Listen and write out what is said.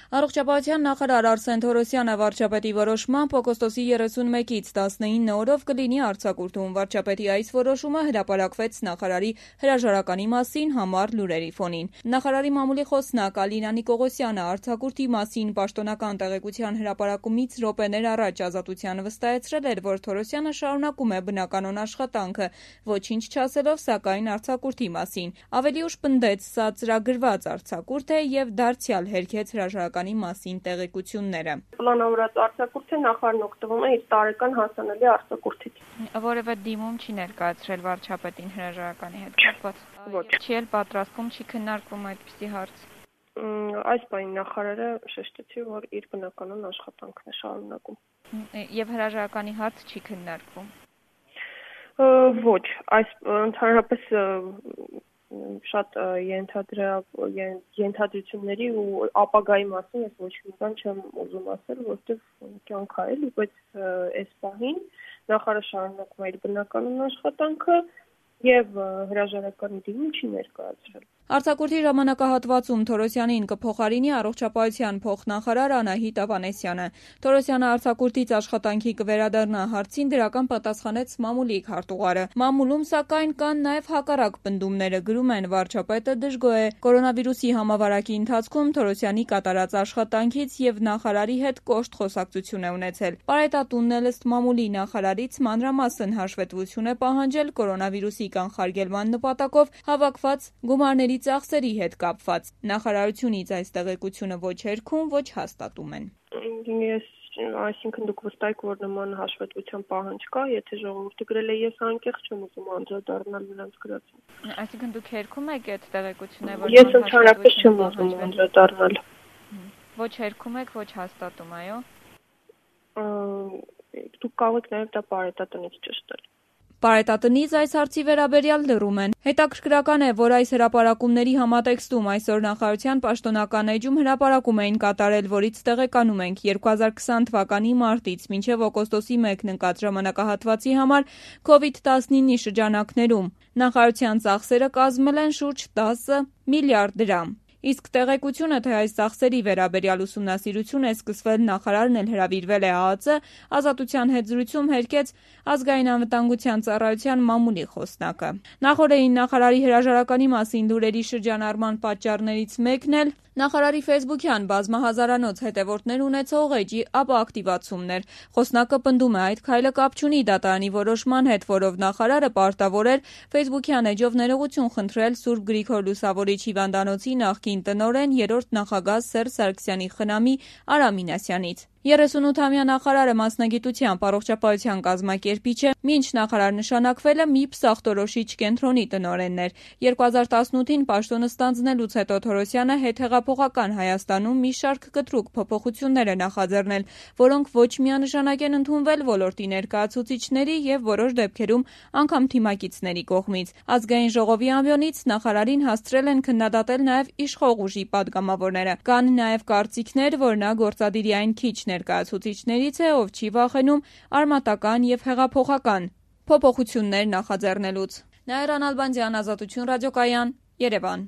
Առողջապահության նախարար Արսեն Թորոսյանը վարչապետի որոշմամբ օգոստոսի 31-ից 19 օրով կլինի արձակուրդում։ Վարչապետի այս որոշումը հրապարակվեց նախարարի հրաժարականի մասին համառ լուրերի ֆոնին։ Նախարարի մամուլի խոսնակ Ալինա Նիկողոսյանը արձակուրդի մասին պաշտոնական տեղեկության հրապարակումից րոպեներ առաջ Ազատությանը վստահեցրել էր, որ Թորոսյանը շարունակում է բնականոն աշխատանքը, ոչինչ չասելով սակայն արձակուրդի մասին։ Ավելի ուշ պնդեց՝ սա ծրագրված արձակուրդ է եւ դարձյալ հերքեց հրաժարականի մասին տեղեկությունները։ Պլանավորած արձակուրդը նախարարն օգտվում է իր տարեկան հասանելի արձակուրդից։ Որևէ դիմում չի ներկայացրել վարչապետին հրաժարականի հետ կապված։ Ոչ։ Չի էլ պատրաստվում, չի քննարկվում այդպիսի հարց։ Այս բանի նախարարը շեշտեցի, որ իր բնականոն աշխատանքն է շարունակում։ Եվ հրաժարականի հարց չի քննարկվում։ Ոչ, այս ընդհանրապես շատ ենթադրությունների ու ապագայի մասին ես ոչ մի բան չեմ ուզում ասել, որովհետև կյանք է էլի, բայց այս պահին նախարարը շարունակում է իր բնականոն աշխատանքը եւ հրաժարականի դիմում չի ներկայացրել։ Արձակուրդի ժամանակահատվածում Թորոսյանին կփոխարինի առողջապահության փոխնախարար Անահիտ Ավանեսյանը։ Թորոսյանը արձակուրդից աշխատանքի կվերադառնա հարցին դրական պատասխանեց մամուլի քարտուղարը։ Մամուլում սակայն կան նաև հակառակ պնդումները, գրում են վարչապետը դժգոհ է կորոնավիրուսի համավարակի ընթացքում Թորոսյանի կատարած աշխատանքից եւ նախարարի հետ կոշտ խոսակցություն է ունեցել։ Պարետատունն էլ ըստ մամուլի նախարարից մանրամասն հաշվետվություն է պահանջել կորոնավիրուսի կանխարգելման նպատակով հավաքված գումարների ծախսերի հետ կապված։ Նախարարությունից այս տեղեկությունը ոչ հերքում, ոչ հաստատում են։ Այսինքն դուք վստահ եք, որ նման հաշվետվության պահանջ կա, եթե ժողովուրդը գրել է, ես անկեղծ չեմ ուզում անդրադառնալ նրանց գրածին։ Այսինքն դուք հերքում եք այդ տեղեկությունը, որ ես ընդհանրապես չեմ ուզում անդրադառնալ։ Ոչ հերքում եք, ոչ հաստատում, այո։ Դուք կարող եք նաև դա պարետատնից ճշտել։ Պարետատնից այս հարցի վերաբերյալ լռում են։ Հետաքրքրական է, որ այս հրապարակումների համատեքստում այսօր նախարարության պաշտոնական էջում հրապարակում էին կատարել, որից տեղեկանում ենք 2020 թվականի մարտից մինչև օգոստոսի 1-ն ընկած ժամանակահատվածի համար COVID-19-ի շրջանակներում նախարարության ծախսերը կազմել են շուրջ 10 միլիարդ դրամ։ Իսկ տեղեկությունը, թե այս ծախսերի վերաբերյալ ուսումնասիրություն է սկսվել, նախարարն էլ հրավիրվել է ԱԱԾ, Ազատության հետ զրույցում հերքեց Ազգային անվտանգության ծառայության մամուլի խոսնակը։ Նախորդին նախարարի հրաժարականի մասին լուրերի շրջանառման պատճառներից մեկն էլ նախարարի ֆեյսբուքյան բազմահազարանոց հետևորդներ ունեցող էջի ապակտիվացումն էր։ Խոսնակը պնդում է, այդ քայլը կապ չունի դատարանի որոշման հետ, որով նախարարը պարտավոր էր ֆեյսբուքյան էջով ներողություն խնդրել Սուրբ Գրիգոր Լուսավորիչ հիվանդանոցի նախկին տնօրեն, երրորդ նախագահ Սերժ Սարգսյանի խնամի Արամ Մինասյանից։ 38-ամյա նախարարը մասնագիտությամբ առողջապահության կազմակերպիչ է, մինչ նախարար նշանակվել է մի պսախտորոշիչ կենտրոնի տնօրենն էր։ 2018-ին պաշտոնը ստանձնելուց հետո Թորոսյանը հետհեղափոխական Հայաստանում մի շարք կտրուկ փոփոխություններ է նախաձեռնել, որոնք ոչ միանշանակ են ընդունվել ոլորտի ներկայացուցիչների եւ որոշ դեպքերում անգամ թիմակիցների կողմից։ Ազգային ժողովի ամբիոնից նախարարին հասցրել են քննադատել նաեւ իշխող ուժի падգամավորները։ Կան նաեւ կարծիքներ, որ նա գործադիրի այն քիչ ներկայացուցիչներից է, ով չի վախենում արմատական եւ հեղափոխական փոփոխություններ նախաձեռնելուց։ Նաիրա Նալբանդյան, Ազատություն ռադիոկայան, Երևան։